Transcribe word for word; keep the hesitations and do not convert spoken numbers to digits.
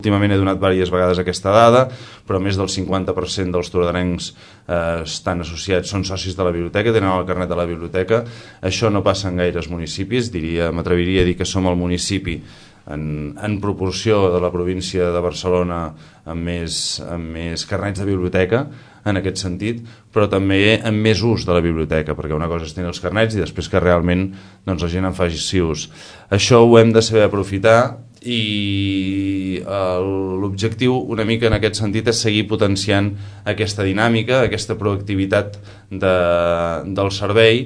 Últimament he donat diverses vegades aquesta dada, però més del cinquanta per cent dels tordarencs eh, estan associats, són socis de la biblioteca, tenen el carnet de la biblioteca. Això no passa en gaires municipis, diria, m'atreviria a dir que som el municipi en, en proporció de la província de Barcelona amb més, amb més carnets de biblioteca, en aquest sentit, però també amb més ús de la biblioteca, perquè una cosa és tenir els carnets i després que realment doncs, la gent en faci ús. Això ho hem de saber aprofitar i l'objectiu una mica en aquest sentit és seguir potenciant aquesta dinàmica, aquesta proactivitat de, del servei.